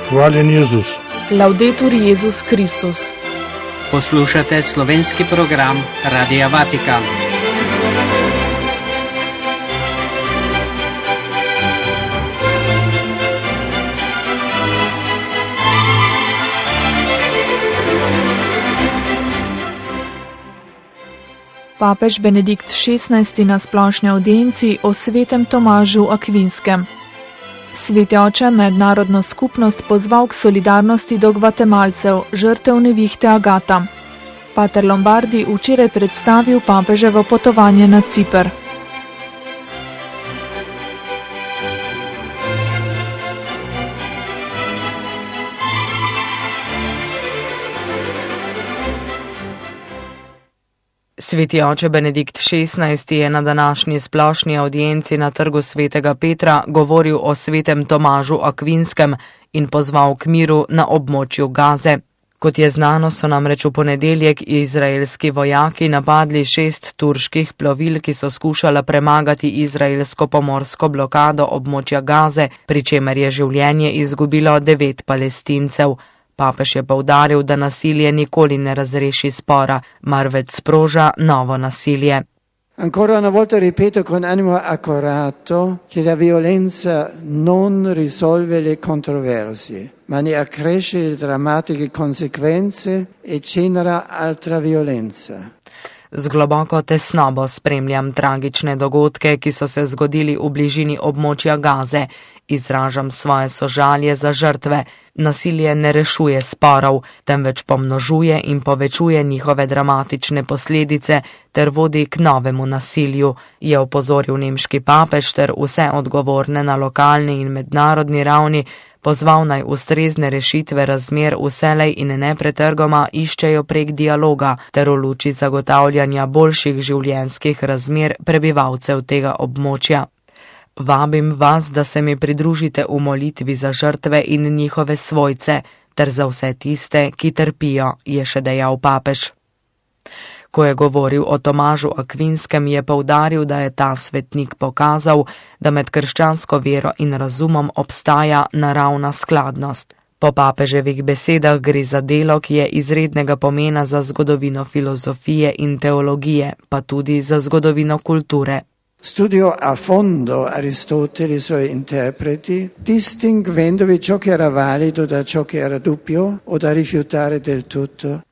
Hvaljen Jezus. Laudetur Jezus Kristus. Poslušate slovenski program Radia Vatikan. Papež Benedikt XVI na splošni avdienci o svetem Tomažu Akvinskem. Sveti oče mednarodno skupnost pozval k solidarnosti do Gvatemalcev, žrtev nevihte Agata. Pater Lombardi včeraj predstavil papeževo potovanje na Ciper. Sveti oče Benedikt XVI je na današnji splošni avdienci na trgu svetega Petra govoril o svetem Tomažu Akvinskem in pozval k miru na območju Gaze. Kot je znano, so namreč v ponedeljek izraelski vojaki napadli 6 turških plovil, ki so skušala premagati izraelsko pomorsko blokado območja Gaze, pri čemer je življenje izgubilo 9 Palestincev. Papež je poudaril, da nasilje nikoli ne razreši spora, marveč sproža novo nasilje. Ancora una volta ripeto con animo accorato che la violenza non risolve le controversie, ma ne accresce le drammatiche conseguenze e genera altra violenza. Z globoko tesnobo spremljam tragične dogodke, ki so se zgodili v bližini območja Gaze. Izražam svoje sožalje za žrtve. Nasilje ne rešuje sporov, temveč pomnožuje in povečuje njihove dramatične posledice ter vodi k novemu nasilju, je opozoril nemški papež ter vse odgovorne na lokalni in mednarodni ravni pozval naj ustrezne rešitve razmer vselej in nepretrgoma iščejo prek dialoga ter v luči zagotavljanja boljših življenjskih razmer prebivalcev tega območja. Vabim vas, da se mi pridružite v molitvi za žrtve in njihove svojce, ter za vse tiste, ki trpijo, je še dejal papež. Ko je govoril o Tomažu Akvinskem, je poudaril, da je ta svetnik pokazal, da med krščansko vero in razumom obstaja naravna skladnost. Po papeževih besedah gre za delo, ki je izrednega pomena za zgodovino filozofije in teologije, pa tudi za zgodovino kulture. Studio a fondo Aristotele e i suoi interpreti, distinguendovi ciò che era valido da ciò che era dubbio o da rifiutare del tutto.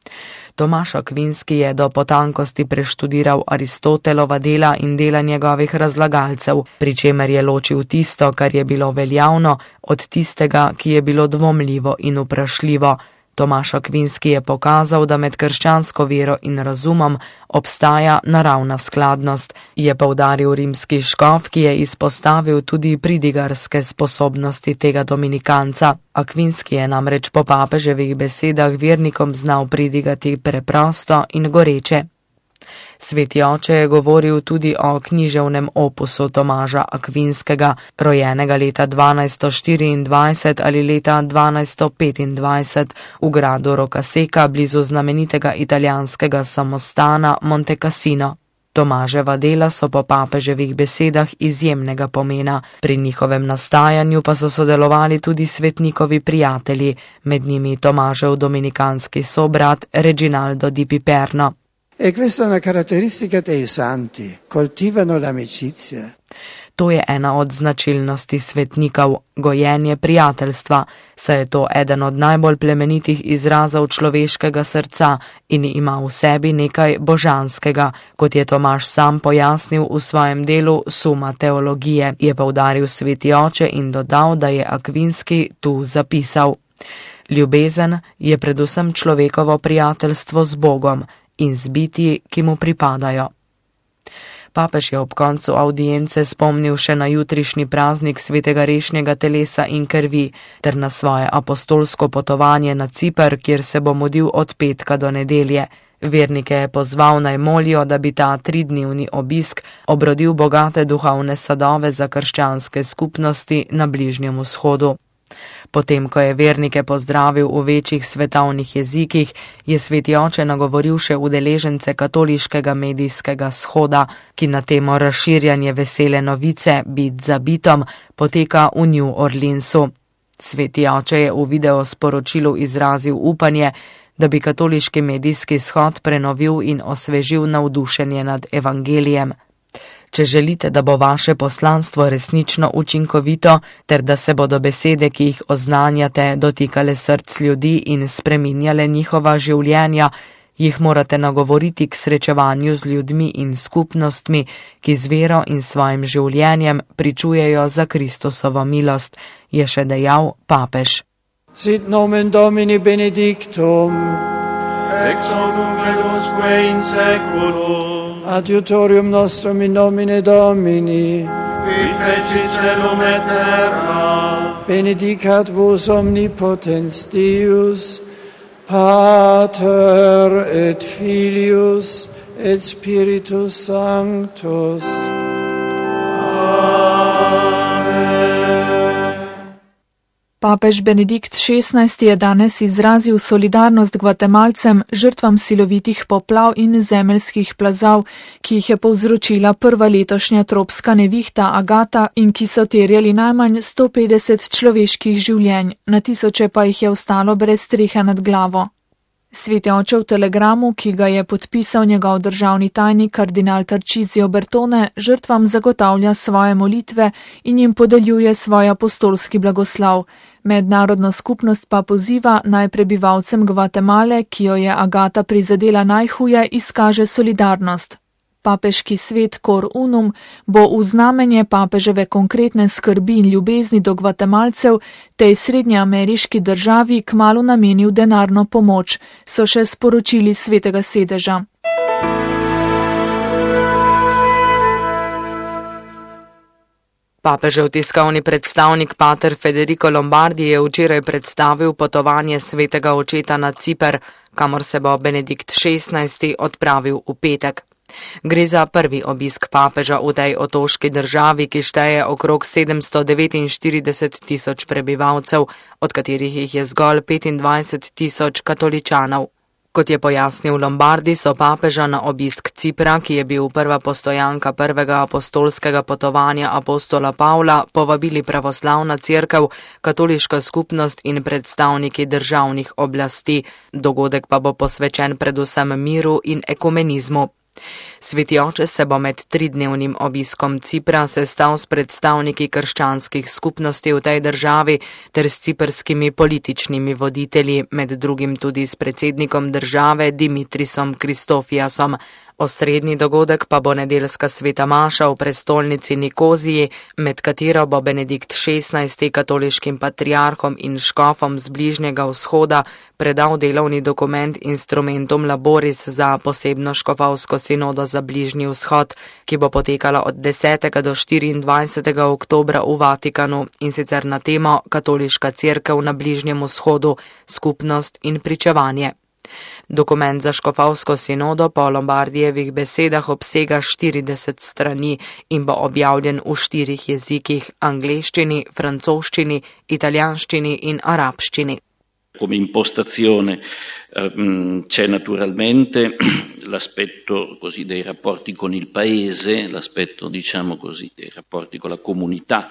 Tomaž Akvinski je do potankosti preštudiral Aristotelova dela in dela njegovih razlagalcev, pri čemer je ločil tisto, kar je bilo veljavno, od tistega, ki je bilo dvomljivo in vprašljivo. Tomaž Akvinski je pokazal, da med krščansko vero in razumom obstaja naravna skladnost, je poudaril rimski škof, ki je izpostavil tudi pridigarske sposobnosti tega dominikanca. Akvinski je namreč po papeževih besedah vernikom znal pridigati preprosto in goreče. Sveti oče je govoril tudi o književnem opusu Tomaža Akvinskega, rojenega leta 1224 ali leta 1225 v gradu Rocasecca blizu znamenitega italijanskega samostana Monte Cassino. Tomaževa dela so po papeževih besedah izjemnega pomena, pri njihovem nastajanju pa so sodelovali tudi svetnikovi prijatelji, med njimi Tomažev dominikanski sobrat Reginaldo di Piperno. E questa è una caratteristica dei santi, coltivano l'amicizia. To je ena od značilnosti svetnikov, gojenje prijateljstva, saj je to eden od najbolj plemenitih izrazov človeškega srca in ima v sebi nekaj božanskega, kot je Tomaž sam pojasnil v svojem delu Suma teologije, je poudaril sveti oče in dodal, da je Akvinski tu zapisal. Ljubezen je predvsem človekovo prijateljstvo z Bogom in z bitji, ki mu pripadajo. Papež je ob koncu avdience spomnil še na jutrišnji praznik svetega rešnjega telesa in krvi ter na svoje apostolsko potovanje na Ciper, kjer se bo mudil od petka do nedelje. Vernike je pozval naj molijo, da bi ta 3-dnevni obisk obrodil bogate duhovne sadove za krščanske skupnosti na Bližnjem vzhodu. Potem, ko je vernike pozdravil v večjih svetovnih jezikih, je sveti oče nagovoril še udeležence katoliškega medijskega shoda, ki na temo razširjanje vesele novice Bit za bitom poteka v New Orleansu. Sveti oče je v video sporočilu izrazil upanje, da bi katoliški medijski shod prenovil in osvežil navdušenje nad evangelijem. Če želite, da bo vaše poslanstvo resnično učinkovito, ter da se bodo besede, ki jih oznanjate, dotikale src ljudi in spreminjale njihova življenja, jih morate nagovoriti k srečevanju z ljudmi in skupnostmi, ki z vero in svojim življenjem pričujejo za Kristusovo milost, je še dejal papež. Sit nomen Domini benedictum, ex hoc nunc et usque in seculum, adiutorium nostrum in nomine Domini, qui feci celum et terra, benedicat vos omnipotens Deus, Pater et Filius et Spiritus Sanctus. Papež Benedikt XVI je danes izrazil solidarnost Gvatemalcem, žrtvam silovitih poplav in zemeljskih plazov, ki jih je povzročila prva letošnja tropska nevihta Agata in ki so terjali najmanj 150 človeških življenj, na tisoče pa jih je ostalo brez strehe nad glavo. Sveti oče v telegramu, ki ga je podpisal njegov državni tajnik kardinal Tarcisio Bertone, žrtvam zagotavlja svoje molitve in jim podeljuje svoj apostolski blagoslov. Mednarodna skupnost pa poziva naj prebivalcem Gvatemale, ki jo je Agata prizadela najhuje, izkaže solidarnost. Papeški svet Cor Unum bo v znamenje papeževe konkretne skrbi in ljubezni do Gvatemalcev tej srednjeameriški državi kmalu namenil denarno pomoč, so še sporočili Svetega sedeža. Papežev tiskovni predstavnik pater Federico Lombardi je včeraj predstavil potovanje svetega očeta na Ciper, kamor se bo Benedikt XVI odpravil v petek. Gre za prvi obisk papeža v tej otoški državi, ki šteje okrog 749 tisoč prebivalcev, od katerih jih je zgolj 25 tisoč katoličanov. Kot je pojasnil Lombardi, so papeža na obisk Cipra, ki je bil prva postojanka prvega apostolskega potovanja apostola Pavla, povabili pravoslavna cerkev, katoliška skupnost in predstavniki državnih oblasti. Dogodek pa bo posvečen predvsem miru in ekumenizmu. Sveti oče se bo med 3-dnevnim obiskom Cipra sestal s predstavniki krščanskih skupnosti v tej državi ter s ciprskimi političnimi voditelji, med drugim tudi s predsednikom države Dimitrisom Kristofijasom. Osrednji dogodek pa bo nedeljska sveta maša v prestolnici Nikoziji, med katero bo Benedikt XVI katoliškim patriarhom in škofom z Bližnjega vzhoda predal delovni dokument Instrumentum Laboris za posebno škofovsko sinodo za Bližnji vzhod, ki bo potekala od 10. do 24. oktobra v Vatikanu, in sicer na temo Katoliška cerkev na Bližnjem vzhodu, skupnost in pričevanje. Dokument za škofovsko sinodo po Lombardijevih besedah obsega 40 strani in bo objavljen v 4 jezikih: angleščini, francoščini, italijanščini in arabščini. Come impostazione c'è naturalmente l'aspetto così dei rapporti con il paese, l'aspetto diciamo così dei rapporti con la comunità.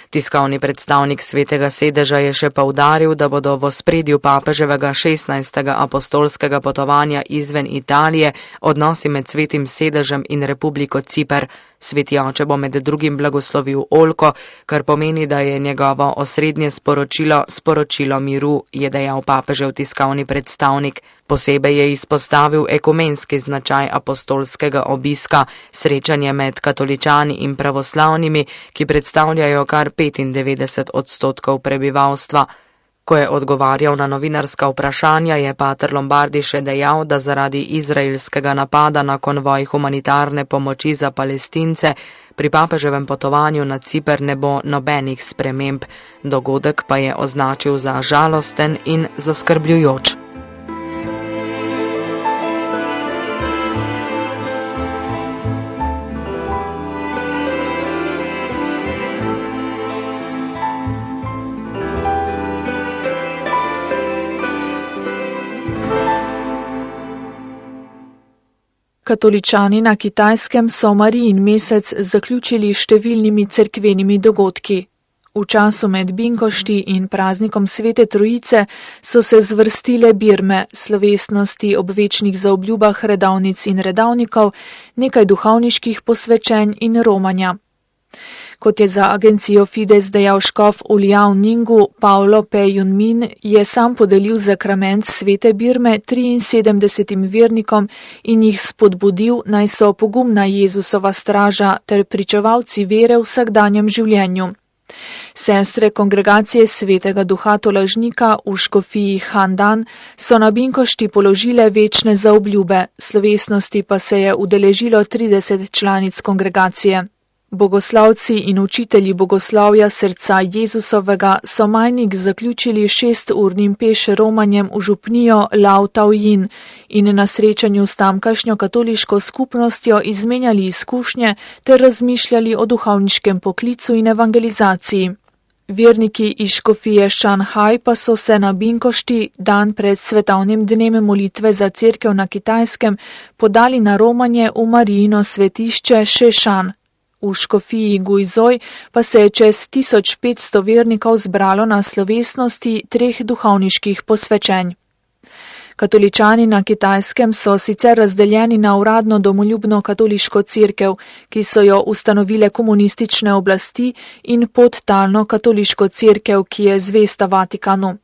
Tiskovni predstavnik Svetega sedeža je še poudaril, da bodo v ospredju papeževega 16. apostolskega potovanja izven Italije odnosi med Svetim sedežem in Republiko Ciper. Sveti oče bo med drugim blagoslovil oljko, kar pomeni, da je njegovo osrednje sporočilo miru, je dejal papežev tiskovni predstavnik. Posebej je izpostavil ekumenski značaj apostolskega obiska, srečanje med katoličani in pravoslavnimi, ki predstavljajo kar 95% prebivalstva. Ko je odgovarjal na novinarska vprašanja, je pater Lombardi še dejal, da zaradi izraelskega napada na konvoj humanitarne pomoči za Palestince pri papeževem potovanju na Ciper ne bo nobenih sprememb. Dogodek pa je označil za žalosten in zaskrbljujoč. Katoličani na Kitajskem so Marijin mesec zaključili številnimi cerkvenimi dogodki. V času med Binkošti in praznikom Svete Trojice so se zvrstile birme, slovesnosti ob večnih zaobljubah redavnic in redavnikov, nekaj duhovniških posvečenj in romanja. Kot je za agencijo Fides dejal škof v Liao Ningu, Paolo P. Junmin je sam podelil zakrament svete birme 73 vernikom in jih spodbudil, naj so pogumna Jezusova straža ter pričevalci vere v vsakdanjem življenju. Sestre kongregacije Svetega Duha Tolažnika v škofiji Handan so na Binkošti položile večne zaobljube, slovesnosti pa se je udeležilo 30 članic kongregacije. Bogoslavci in učitelji bogoslavja srca Jezusovega so majnik zaključili 6-urnim peš romanjem v župnijo Lao Taoyin in na srečanju s tamkajšnjo katoliško skupnostjo izmenjali izkušnje ter razmišljali o duhovniškem poklicu in evangelizaciji. Verniki iz škofije Šanghaj pa so se na Binkošti, dan pred svetovnim dnem molitve za cerkev na Kitajskem, podali na romanje v Marijino svetišče Šešan. V škofiji Gujzoj pa se je čez 1500 vernikov zbralo na slovesnosti 3 duhovniških posvečenj. Katoličani na Kitajskem so sicer razdeljeni na uradno domoljubno katoliško cerkev, ki so jo ustanovile komunistične oblasti, in podtalno katoliško cerkev, ki je zvesta Vatikanu.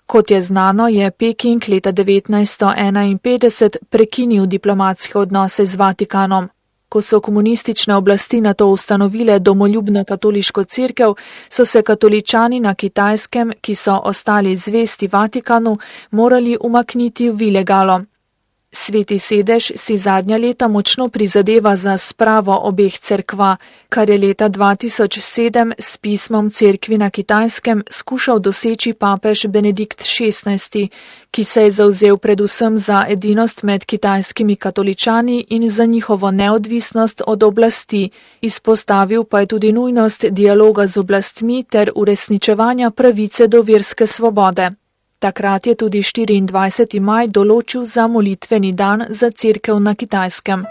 Kot je znano, je Peking leta 1951 prekinil diplomatske odnose z Vatikanom. Ko so komunistične oblasti na to ustanovile domoljubno katoliško cerkev, so se katoličani na Kitajskem, ki so ostali zvesti Vatikanu, morali umakniti v ilegalo. Sveti sedež si zadnja leta močno prizadeva za spravo obeh cerkva, kar je leta 2007 s pismom cerkvi na Kitajskem skušal doseči papež Benedikt XVI, ki se je zavzel predvsem za edinost med kitajskimi katoličani in za njihovo neodvisnost od oblasti, izpostavil pa je tudi nujnost dialoga z oblastmi ter uresničevanja pravice do verske svobode. Takrat je tudi 24. maj določil za molitveni dan za cerkev na Kitajskem.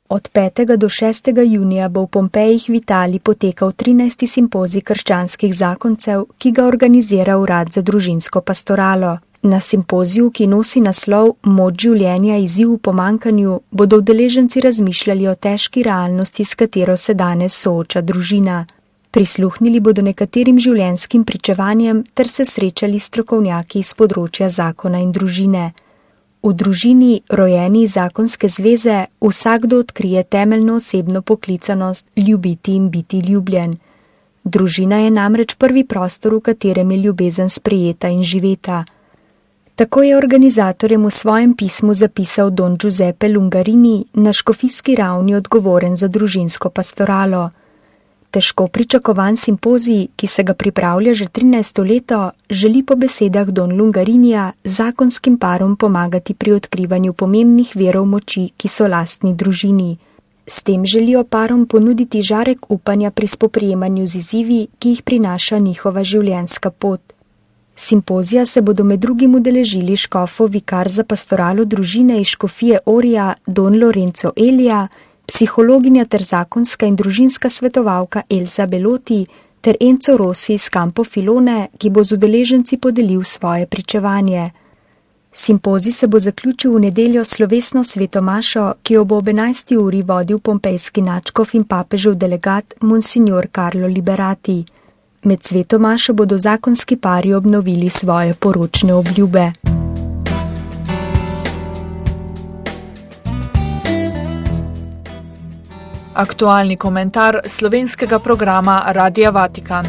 Od 5. do 6. junija bo v Pompejih v Italiji potekal 13. simpozij krščanskih zakoncev, ki ga organizira Urad za družinsko pastoralo. Na simpoziju, ki nosi naslov Moč življenja izziv v pomanjkanju, bodo udeleženci razmišljali o težki realnosti, s katero se danes sooča družina. Prisluhnili bodo nekaterim življenjskim pričevanjem ter se srečali s strokovnjaki iz področja zakona in družine. V družini, rojeni iz zakonske zveze, vsakdo odkrije temeljno osebno poklicanost ljubiti in biti ljubljen. Družina je namreč prvi prostor, v katerem je ljubezen sprejeta in živeta. Tako je organizatorjem v svojem pismu zapisal don Giuseppe Lungarini, na škofijski ravni odgovoren za družinsko pastoralo. Težko pričakovan simpozij, ki se ga pripravlja že 13. leto, želi po besedah don Lungarinija zakonskim parom pomagati pri odkrivanju pomembnih virov moči, ki so lastni družini. S tem želijo parom ponuditi žarek upanja pri spoprijemanju z izzivi, ki jih prinaša njihova življenjska pot. Simpozija se bodo med drugim udeležili škofov vikar za pastoralo družine iz škofije Orija don Lorenzo Elija, psihologinja ter zakonska in družinska svetovalka Elsa Beloti ter Enzo Rossi iz Campo Filone, ki bo z udeleženci podelil svoje pričevanje. Simpozij se bo zaključil v nedeljo slovesno sveto mašo, ki jo bo ob 11. uri vodil pompejski nadškof in papežev delegat Monsignor Carlo Liberati. Med sveto mašo bodo zakonski pari obnovili svoje poročne obljube. Aktualni komentar slovenskega programa Radia Vatikan.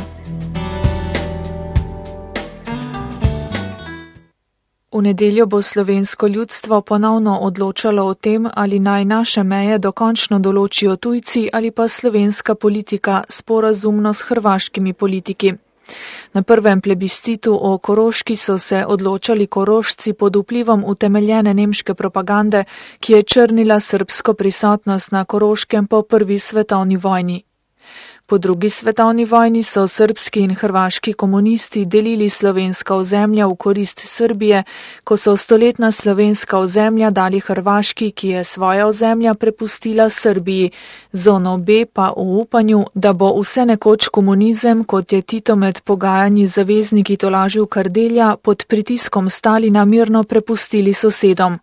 V nedeljo bo slovensko ljudstvo ponovno odločalo o tem, ali naj naše meje dokončno določijo tujci ali pa slovenska politika sporazumno s hrvaškimi politiki. Na prvem plebiscitu o Koroški so se odločali Korošci pod vplivom utemeljene nemške propagande, ki je črnila srbsko prisotnost na Koroškem po prvi svetovni vojni. Po drugi svetovni vojni so srbski in hrvaški komunisti delili slovenska ozemlja v korist Srbije, ko so stoletna slovenska ozemlja dali Hrvaški, ki je svoja ozemlja prepustila Srbiji, zono B pa v upanju, da bo vse nekoč komunizem, kot je Tito med pogajanji z zavezniki tolažil Kardelja, pod pritiskom Stalina mirno prepustili sosedom.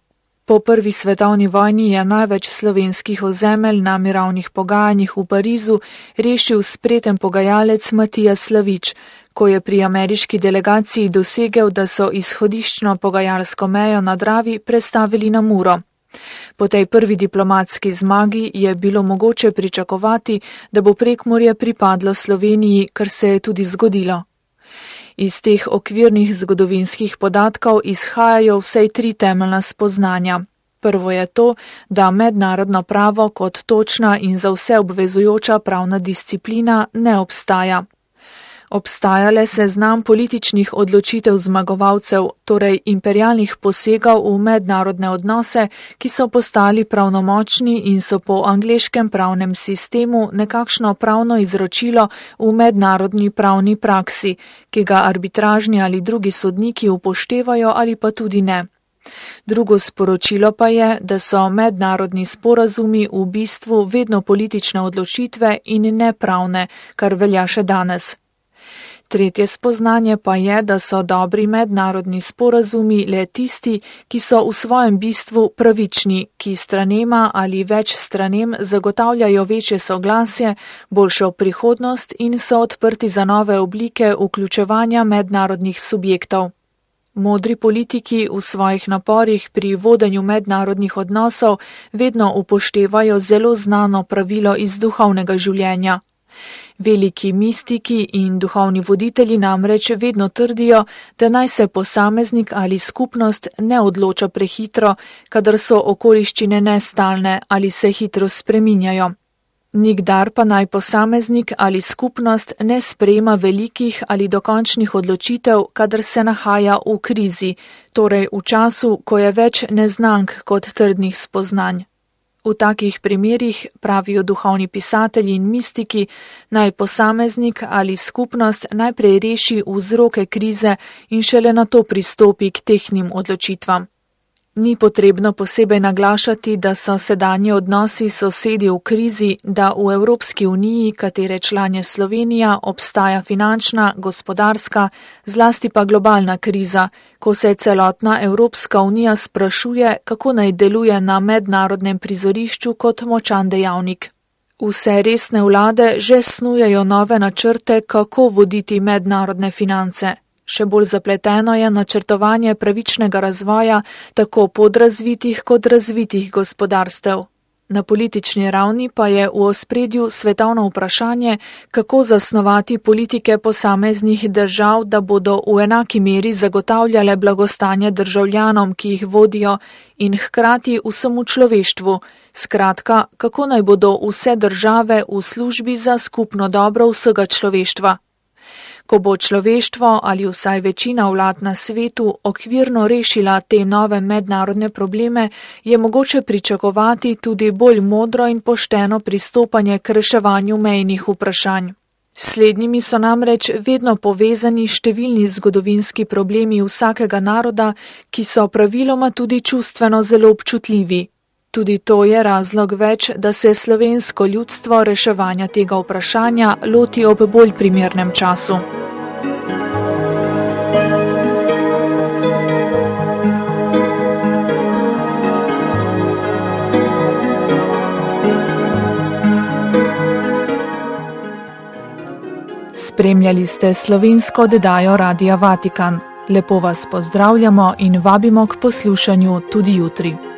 Po prvi svetovni vojni je največ slovenskih ozemelj na mirovnih pogajanjih v Parizu rešil spreten pogajalec Matija Slavič, ko je pri ameriški delegaciji dosegel, da so izhodiščno pogajalsko mejo na Dravi prestavili na Muro. Po tej prvi diplomatski zmagi je bilo mogoče pričakovati, da bo Prekmurje pripadlo Sloveniji, kar se je tudi zgodilo. Iz teh okvirnih zgodovinskih podatkov izhajajo vsej 3 temeljna spoznanja. Prvo je to, da mednarodno pravo kot točna in za vse obvezujoča pravna disciplina ne obstaja. Obstaja le seznam političnih odločitev zmagovalcev, torej imperialnih posegov v mednarodne odnose, ki so postali pravnomočni in so po angleškem pravnem sistemu nekakšno pravno izročilo v mednarodni pravni praksi, ki ga arbitražni ali drugi sodniki upoštevajo ali pa tudi ne. Drugo sporočilo pa je, da so mednarodni sporazumi v bistvu vedno politične odločitve in ne pravne, kar velja še danes. Tretje spoznanje pa je, da so dobri mednarodni sporazumi le tisti, ki so v svojem bistvu pravični, ki stranema ali več stranem zagotavljajo večje soglasje, boljšo prihodnost in so odprti za nove oblike vključevanja mednarodnih subjektov. Modri politiki v svojih naporih pri vodenju mednarodnih odnosov vedno upoštevajo zelo znano pravilo iz duhovnega življenja. Veliki mistiki in duhovni voditelji namreč vedno trdijo, da naj se posameznik ali skupnost ne odloča prehitro, kadar so okoliščine nestalne ali se hitro spreminjajo. Nikdar pa naj posameznik ali skupnost ne sprejema velikih ali dokončnih odločitev, kadar se nahaja v krizi, torej v času, ko je več neznank kot trdnih spoznanj. V takih primerih, pravijo duhovni pisatelji in mistiki, naj posameznik ali skupnost najprej reši vzroke krize in šele nato pristopi k tehtnim odločitvam. Ni potrebno posebej naglašati, da so sedanji odnosi sosedi v krizi, da v Evropski uniji, katere član je Slovenija, obstaja finančna, gospodarska, zlasti pa globalna kriza, ko se celotna Evropska unija sprašuje, kako naj deluje na mednarodnem prizorišču kot močan dejavnik. Vse resne vlade že snujejo nove načrte, kako voditi mednarodne finance. Še bolj zapleteno je načrtovanje pravičnega razvoja tako podrazvitih kot razvitih gospodarstev. Na politični ravni pa je v ospredju svetovno vprašanje, kako zasnovati politike posameznih držav, da bodo v enaki meri zagotavljale blagostanje državljanom, ki jih vodijo, in hkrati vsemu človeštvu. Skratka, kako naj bodo vse države v službi za skupno dobro vsega človeštva. Ko bo človeštvo ali vsaj večina vlad na svetu okvirno rešila te nove mednarodne probleme, je mogoče pričakovati tudi bolj modro in pošteno pristopanje k reševanju mejnih vprašanj. S slednjimi so namreč vedno povezani številni zgodovinski problemi vsakega naroda, ki so praviloma tudi čustveno zelo občutljivi. Tudi to je razlog več, da se slovensko ljudstvo reševanja tega vprašanja loti ob bolj primernem času. Spremljali ste slovensko oddajo Radia Vatikan. Lepo vas pozdravljamo in vabimo k poslušanju tudi jutri.